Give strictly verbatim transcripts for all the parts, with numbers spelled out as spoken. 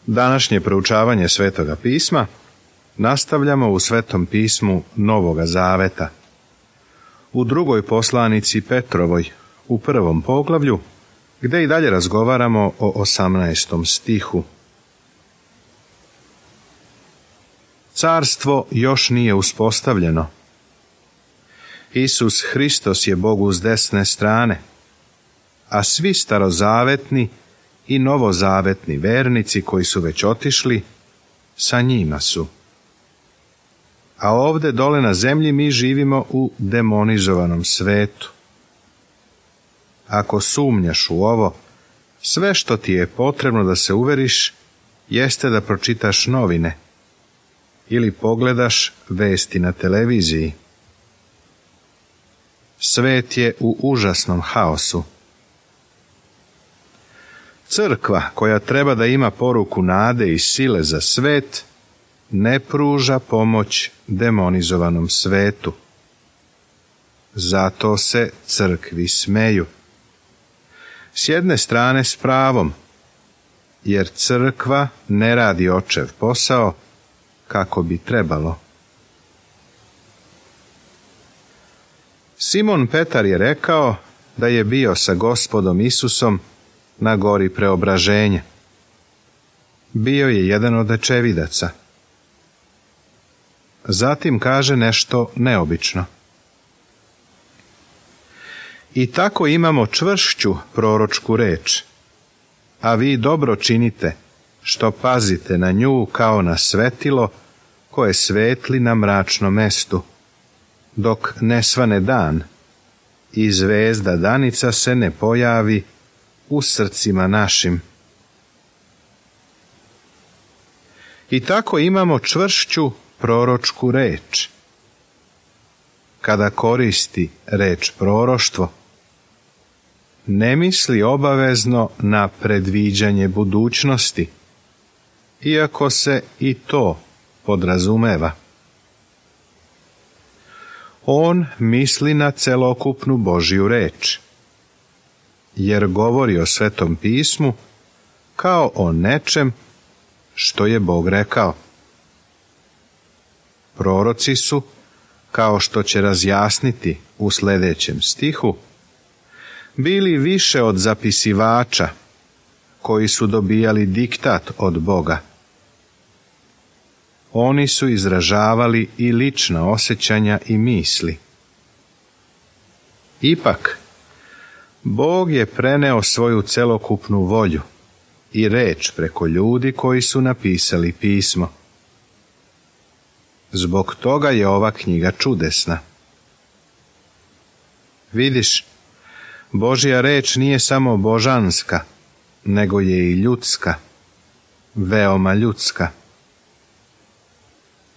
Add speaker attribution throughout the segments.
Speaker 1: Današnje proučavanje Svetoga pisma nastavljamo u Svetom pismu Novoga Zaveta. U drugoj poslanici Petrovoj, u prvom poglavlju, gdje i dalje razgovaramo o osamnaestom stihu. Carstvo još nije uspostavljeno. Isus Hristos je Bogu s desne strane, a svi starozavetni i novozavetni vernici koji su već otišli, sa njima su. A ovdje dole na zemlji mi živimo u demonizovanom svetu. Ako sumnjaš u ovo, sve što ti je potrebno da se uveriš jeste da pročitaš novine ili pogledaš vesti na televiziji. Svet je u užasnom haosu. Crkva, koja treba da ima poruku nade i sile za svet, ne pruža pomoć demonizovanom svetu. Zato se crkvi smeju. S jedne strane s pravom, jer crkva ne radi očev posao kako bi trebalo. Simon Petar je rekao da je bio sa Gospodom Isusom na gori Preobraženja. Bio je jedan od očevidaca. Zatim kaže nešto neobično. I tako imamo čvršću proročku reč, a vi dobro činite, što pazite na nju kao na svetilo koje svetli na mračnom mestu, dok ne svane dan i zvezda danica se ne pojavi u srcima našim. I tako imamo čvršću proročku reč. Kada koristi reč proroštvo, ne misli obavezno na predviđanje budućnosti, iako se i to podrazumeva. On misli na celokupnu Božju reč, jer govori o Svetom pismu kao o nečem što je Bog rekao. Proroci su, kao što će razjasniti u sljedećem stihu, bili više od zapisivača koji su dobijali diktat od Boga. Oni su izražavali i lična osjećanja i misli. Ipak, Bog je preneo svoju celokupnu volju i reč preko ljudi koji su napisali pismo. Zbog toga je ova knjiga čudesna. Vidiš, Božja reč nije samo božanska, nego je i ljudska, veoma ljudska.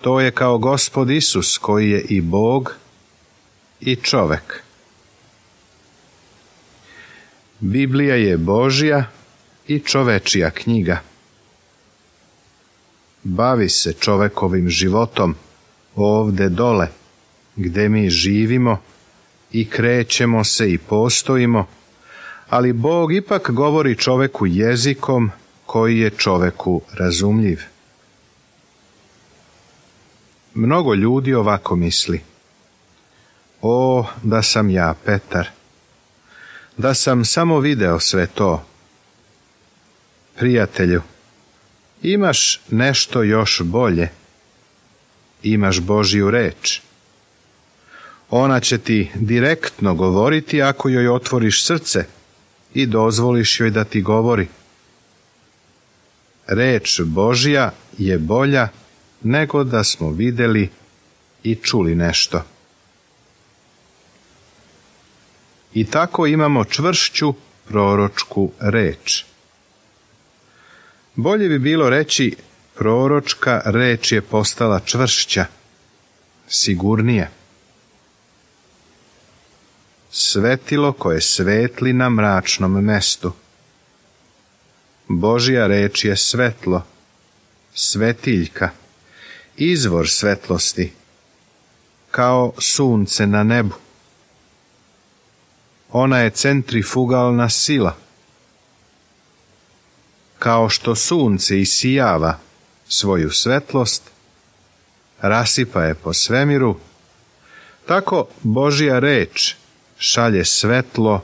Speaker 1: To je kao Gospod Isus koji je i Bog i čovek. Biblija je Božja i čovečija knjiga. Bavi se čovekovim životom ovde dole, gde mi živimo i krećemo se i postojimo, ali Bog ipak govori čoveku jezikom koji je čoveku razumljiv. Mnogo ljudi ovako misli. O, da sam ja Petar, da sam samo video sve to. Prijatelju, imaš nešto još bolje. Imaš Božju reč. Ona će ti direktno govoriti ako joj otvoriš srce i dozvoliš joj da ti govori. Reč Božja je bolja nego da smo vidjeli i čuli nešto. I tako imamo čvršću proročku reč. Bolje bi bilo reći, proročka reč je postala čvršća, sigurnije. Svetilo koje svetli na mračnom mestu. Božja reč je svetlo, svetiljka, izvor svetlosti, kao sunce na nebu. Ona je centrifugalna sila. kao što sunce isijava svoju svetlost, rasipa je po svemiru, tako Božja reč šalje svetlo,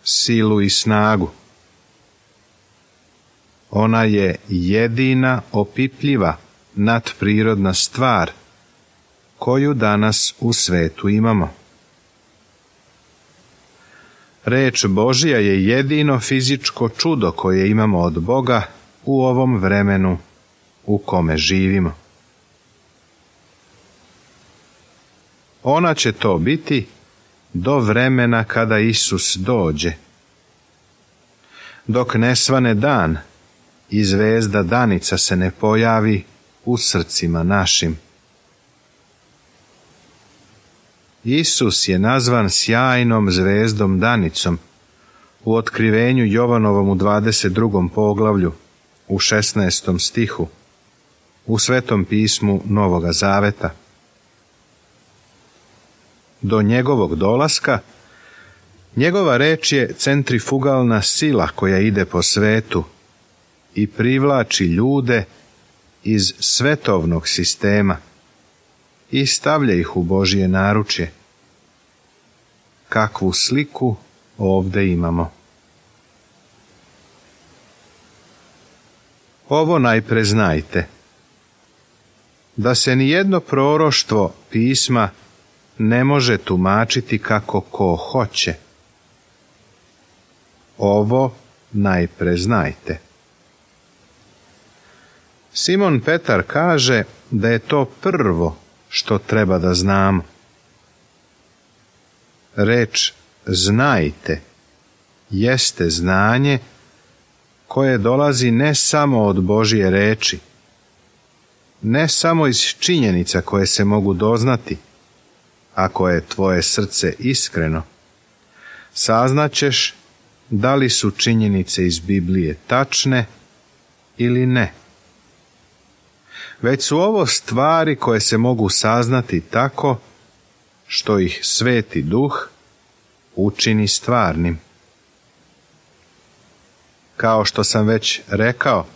Speaker 1: silu i snagu. Ona je jedina opipljiva nadprirodna stvar koju danas u svetu imamo. Reč Božja je jedino fizičko čudo koje imamo od Boga u ovom vremenu u kome živimo. Ona će to biti do vremena kada Isus dođe. Dok ne svane dan i zvezda danica se ne pojavi u srcima našim. Isus je nazvan sjajnom zvezdom danicom u otkrivenju Jovanovom u dvadeset drugom poglavlju, u šesnaestom stihu, u Svetom pismu Novoga Zaveta. Do njegovog dolaska, njegova reč je centrifugalna sila koja ide po svetu i privlači ljude iz svetovnog sistema i stavlja ih u Božje naručje. Kakvu sliku ovdje imamo? Ovo najpre znajte, da se nijedno proroštvo pisma ne može tumačiti kako ko hoće. Ovo najpre znajte. Simon Petar kaže da je to prvo što treba da znamo. Reč znajte jeste znanje koje dolazi ne samo od Božje reči, ne samo iz činjenica koje se mogu doznati, ako je tvoje srce iskreno, saznaćeš da li su činjenice iz Biblije tačne ili ne. Već su ovo stvari koje se mogu saznati tako što ih Sveti Duh učini stvarnim. Kao što sam već rekao,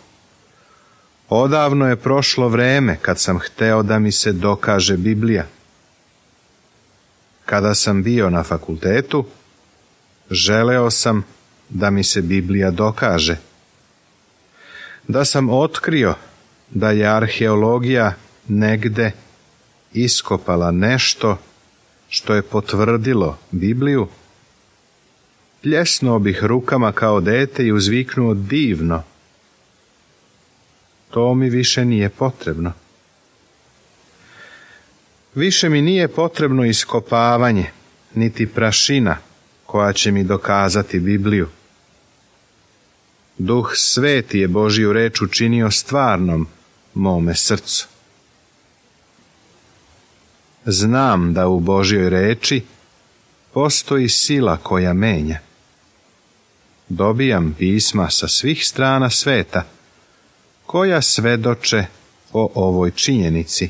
Speaker 1: odavno je prošlo vreme kad sam hteo da mi se dokaže Biblija. Kada sam bio na fakultetu, želeo sam da mi se Biblija dokaže. Da sam otkrio da je arheologija negde iskopala nešto što je potvrdilo Bibliju, pljesnuo bih rukama kao dete i uzviknuo divno. To mi više nije potrebno. Više mi nije potrebno iskopavanje, niti prašina koja će mi dokazati Bibliju. Duh Sveti je Božju reč učinio stvarnom mome srcu. Znam da u Božjoj reči postoji sila koja menja. Dobijam pisma sa svih strana sveta koja svedoče o ovoj činjenici.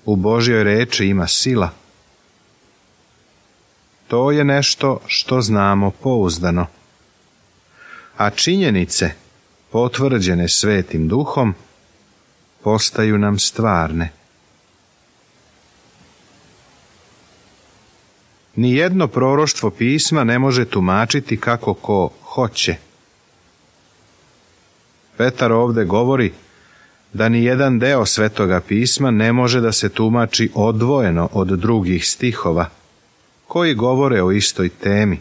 Speaker 1: U Božjoj reči ima sila. To je nešto što znamo pouzdano. A činjenice, potvrđene Svetim Duhom, postaju nam stvarne. Nijedno proroštvo pisma ne može tumačiti kako ko hoće. Petar ovdje govori da ni jedan deo Svetoga pisma ne može da se tumači odvojeno od drugih stihova, koji govore o istoj temi.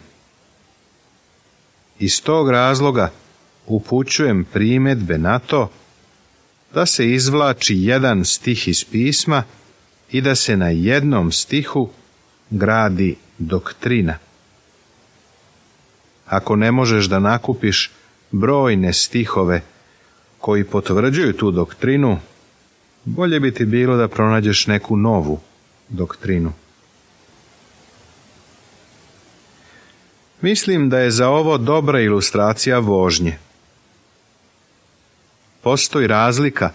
Speaker 1: Iz tog razloga upućujem primjedbe na to da se izvlači jedan stih iz pisma i da se na jednom stihu gradi doktrina. Ako ne možeš da nakupiš brojne stihove koji potvrđuju tu doktrinu, bolje bi ti bilo da pronađeš neku novu doktrinu. Mislim da je za ovo dobra ilustracija vožnje. Postoji razlika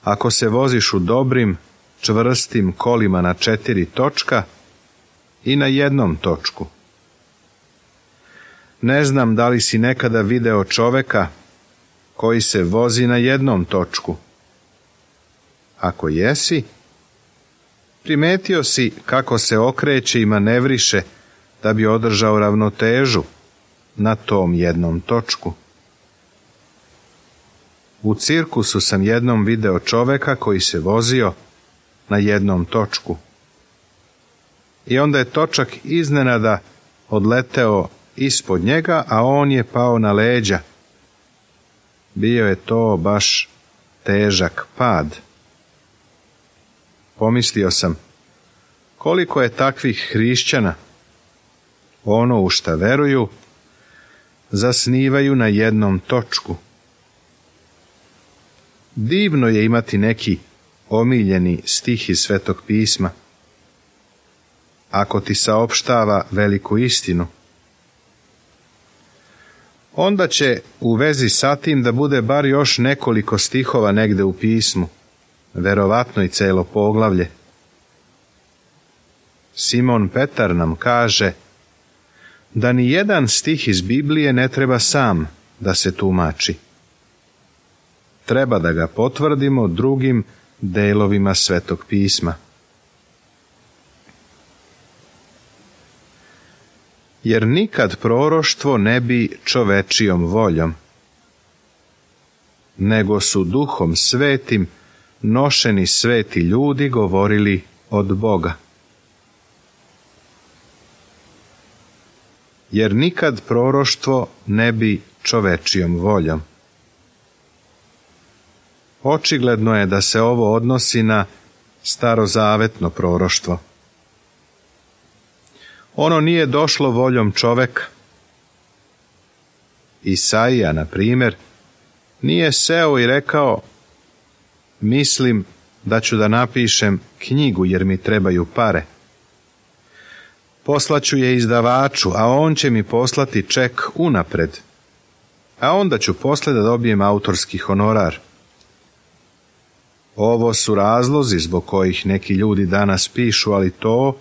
Speaker 1: ako se voziš u dobrim, čvrstim kolima na četiri točka i na jednom točku. Ne znam da li si nekada video čoveka koji se vozi na jednom točku. Ako jesi, primetio si kako se okreće i manevriše da bi održao ravnotežu na tom jednom točku. U cirkusu sam jednom video čoveka koji se vozio na jednom točku. I onda je točak iznenada odleteo ispod njega, a on je pao na leđa. Bio je to baš težak pad. Pomislio sam, koliko je takvih hrišćana, ono u šta veruju, zasnivaju na jednom točku. Divno je imati neki omiljeni stih iz Svetog pisma, ako ti saopštava veliku istinu. Onda će u vezi sa tim da bude bar još nekoliko stihova negde u pismu, verovatno i celo poglavlje. Simon Petar nam kaže da ni jedan stih iz Biblije ne treba sam da se tumači. Treba da ga potvrdimo drugim delovima Svetog pisma. Jer nikad proroštvo ne bi čovečijom voljom, nego su Duhom Svetim nošeni sveti ljudi govorili od Boga. Jer nikad proroštvo ne bi čovečijom voljom. Očigledno je da se ovo odnosi na starozavetno proroštvo. Ono nije došlo voljom čoveka. Isaija, na primjer, nije seo i rekao: mislim da ću da napišem knjigu jer mi trebaju pare. Poslaću je izdavaču, a on će mi poslati ček unapred, a onda ću posle da dobijem autorski honorar. Ovo su razlozi zbog kojih neki ljudi danas pišu, ali to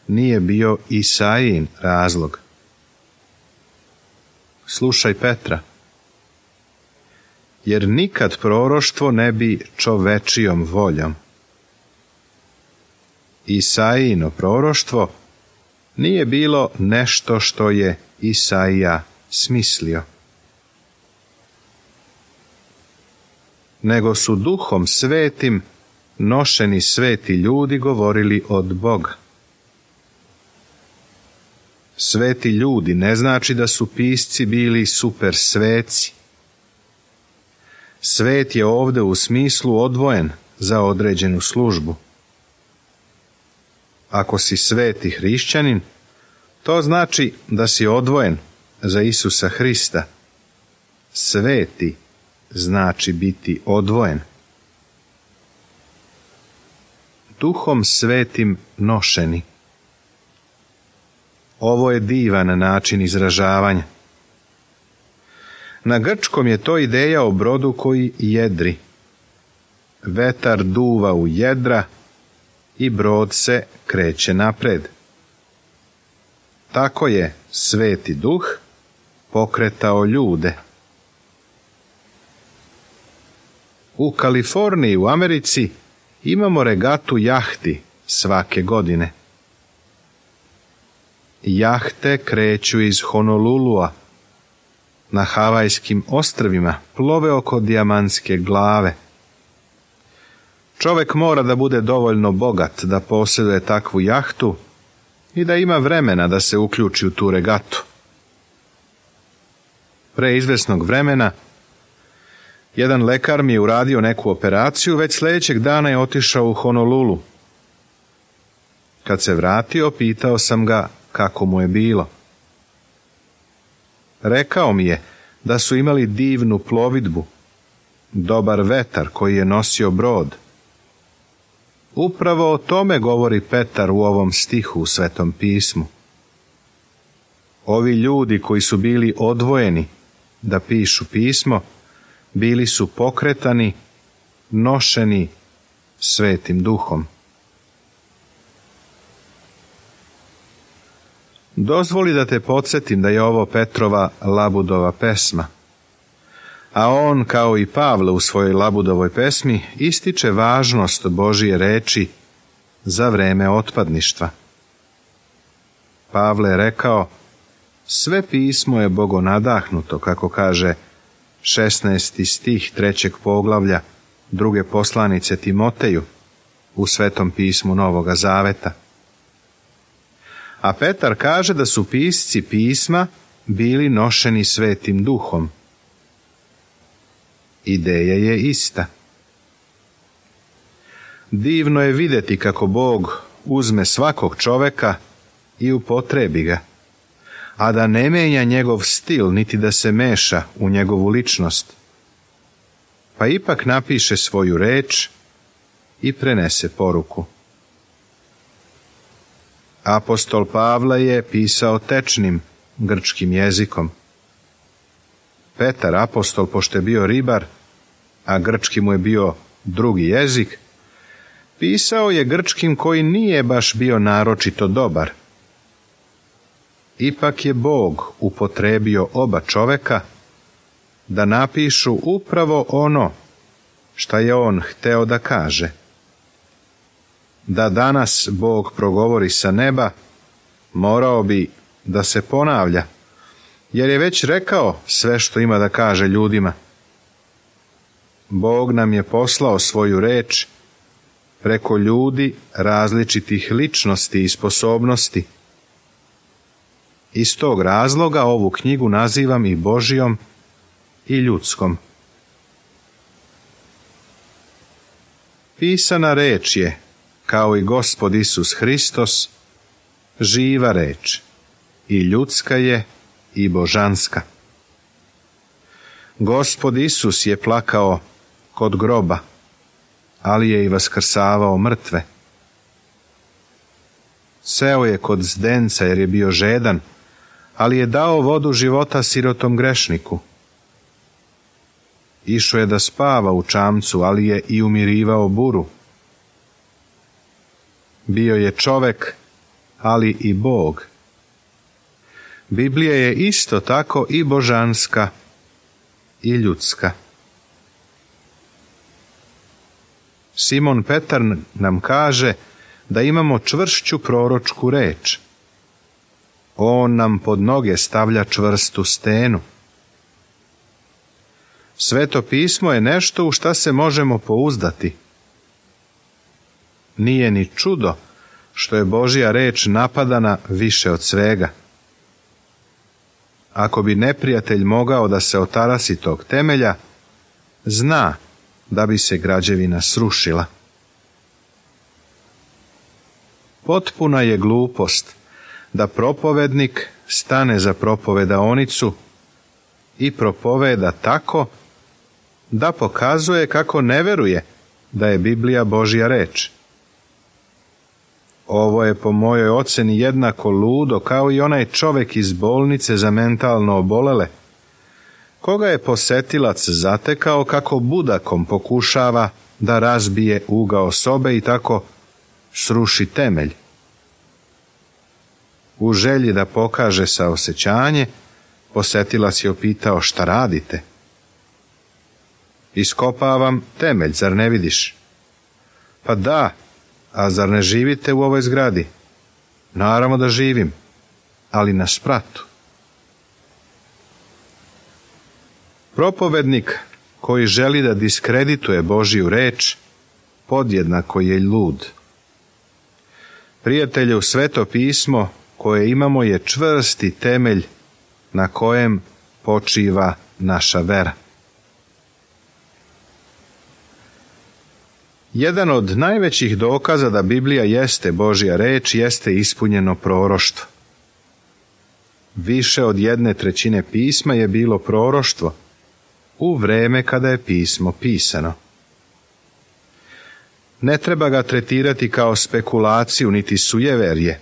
Speaker 1: nije bio Isaijin razlog. Slušaj Petra. Jer nikad proroštvo ne bi čovečijom voljom. Isaijino proroštvo nije bilo nešto što je Isaija smislio, nego su Duhom Svetim nošeni sveti ljudi govorili od Boga. Sveti ljudi ne znači da su pisci bili super sveci. Svet je ovde u smislu odvojen za određenu službu. Ako si sveti hrišćanin, to znači da si odvojen za Isusa Hrista. Sveti znači biti odvojen. Duhom Svetim nošeni. Ovo je divan način izražavanja. Na grčkom je to ideja o brodu koji jedri. Vetar duva u jedra i brod se kreće napred. Tako je Sveti Duh pokretao ljude. U Kaliforniji u Americi imamo regatu jahti svake godine. Jahte kreću iz Honolulua na Havajskim ostrvima, plove oko Dijamantske glave. Čovek mora da bude dovoljno bogat da posjeduje takvu jahtu i da ima vremena da se uključi u tu regatu. Pre izvesnog vremena jedan lekar mi je uradio neku operaciju, već sljedećeg dana je otišao u Honolulu. Kad se vratio, pitao sam ga kako mu je bilo. Rekao mi je da su imali divnu plovidbu, dobar vetar koji je nosio brod. Upravo o tome govori Petar u ovom stihu u Svetom pismu. Ovi ljudi koji su bili odvojeni da pišu pismo, bili su pokretani, nošeni Svetim Duhom. Dozvoli da te podsjetim da je ovo Petrova Labudova pesma, a on, kao i Pavle u svojoj Labudovoj pesmi, ističe važnost Božije reči za vreme otpadništva. Pavle je rekao, sve pismo je bogonadahnuto, kako kaže šesnaesti stih trećeg poglavlja druge poslanice Timoteju u Svetom pismu Novoga Zaveta. A Petar kaže da su pisci pisma bili nošeni Svetim Duhom. Ideja je ista. Divno je vidjeti kako Bog uzme svakog čoveka i upotrebi ga, a da ne menja njegov stil niti da se meša u njegovu ličnost, pa ipak napiše svoju reč i prenese poruku. Apostol Pavle je pisao tečnim grčkim jezikom. Petar, apostol, pošto je bio ribar, a grčki mu je bio drugi jezik, pisao je grčkim koji nije baš bio naročito dobar. Ipak je Bog upotrebio oba čoveka da napišu upravo ono šta je on hteo da kaže. Da danas Bog progovori sa neba, morao bi da se ponavlja, jer je već rekao sve što ima da kaže ljudima. Bog nam je poslao svoju reč preko ljudi različitih ličnosti i sposobnosti. Iz tog razloga ovu knjigu nazivam i Božijom i ljudskom. Pisana reč je, kao i Gospod Isus Hristos, živa reč, i ljudska je i božanska. Gospod Isus je plakao kod groba, ali je i vaskrsavao mrtve. Seo je kod zdenca jer je bio žedan, ali je dao vodu života sirotom grešniku. Išao je da spava u čamcu, ali je i umirivao buru. Bio je čovek, ali i Bog. Biblija je isto tako i božanska i ljudska. Simon Petar nam kaže da imamo čvršću proročku reč. On nam pod noge stavlja čvrstu stenu. Sveto pismo je nešto u šta se možemo pouzdati. Nije ni čudo što je Božja reč napadana više od svega. Ako bi neprijatelj mogao da se otarasi tog temelja, zna da bi se građevina srušila. Potpuna je glupost da propovednik stane za propovedaonicu i propoveda tako da pokazuje kako ne veruje da je Biblija Božja reč. Ovo je po mojoj oceni jednako ludo kao i onaj čovek iz bolnice za mentalno obolele, koga je posetilac zatekao kako budakom pokušava da razbije ugao sobe i tako sruši temelj. U želji da pokaže saosećanje, posetilac je upitao: šta radite? Iskopavam temelj, zar ne vidiš? Pa da, a zar ne živite u ovoj zgradi? Naravno da živim, ali na spratu. Propovednik koji želi da diskredituje Božju reč, podjednako je lud. Prijatelju, Sveto pismo koje imamo je čvrsti temelj na kojem počiva naša vera. Jedan od najvećih dokaza da Biblija jeste Božja reč jeste ispunjeno proroštvo. Više od jedne trećine pisma je bilo proroštvo u vreme kada je pismo pisano. Ne treba ga tretirati kao spekulaciju niti sujeverje,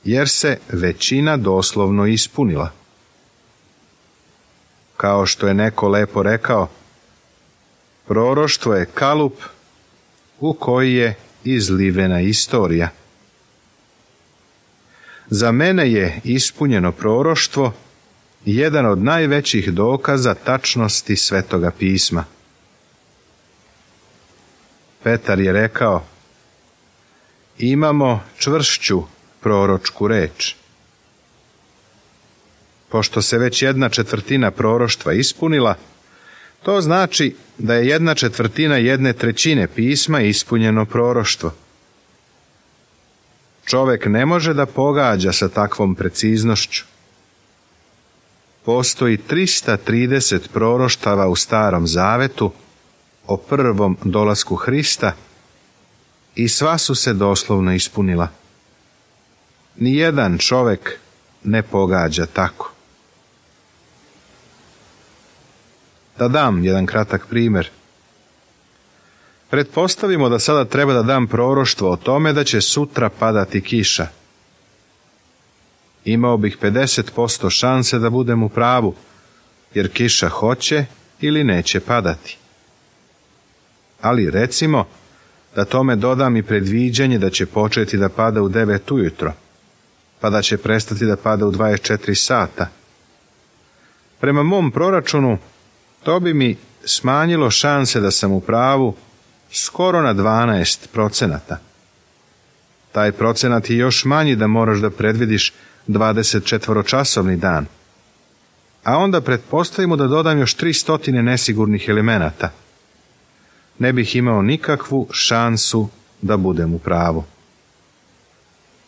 Speaker 1: jer se većina doslovno ispunila. Kao što je neko lepo rekao, proroštvo je kalup u koji je izlivena istorija. Za mene je ispunjeno proroštvo jedan od najvećih dokaza tačnosti Svetoga pisma. Petar je rekao: imamo čvršću proročku reč. Pošto se već jedna četvrtina proroštva ispunila, to znači da je jedna četvrtina jedne trećine pisma ispunjeno proroštvo. Čovek ne može da pogađa sa takvom preciznošću. Postoji trista trideset proroštava u Starom Zavetu o prvom dolasku Hrista i sva su se doslovno ispunila. Nijedan čovek ne pogađa tako. Da dam jedan kratak primjer. Pretpostavimo da sada treba da dam proroštvo o tome da će sutra padati kiša. Imao bih pedeset posto šanse da budem u pravu, jer kiša hoće ili neće padati. Ali recimo da tome dodam i predviđanje da će početi da pada u devet ujutro, pa da će prestati da pada u dvadeset četiri sata. Prema mom proračunu, to bi mi smanjilo šanse da sam u pravu skoro na dvanaest procenata. Taj procenat je još manji da moraš da predvidiš dvadesetčetvoročasovni dan. A onda pretpostavimo da dodam još tri stotine nesigurnih elemenata. Ne bih imao nikakvu šansu da budem u pravu.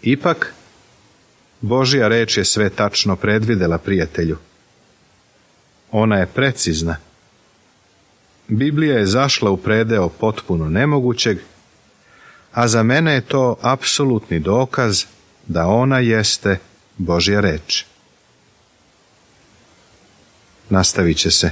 Speaker 1: Ipak, Božja reč je sve tačno predvidela, prijatelju. Ona je precizna. Biblija je zašla u predeo potpuno nemogućeg, a za mene je to apsolutni dokaz da ona jeste Božja reč. Nastavit će se.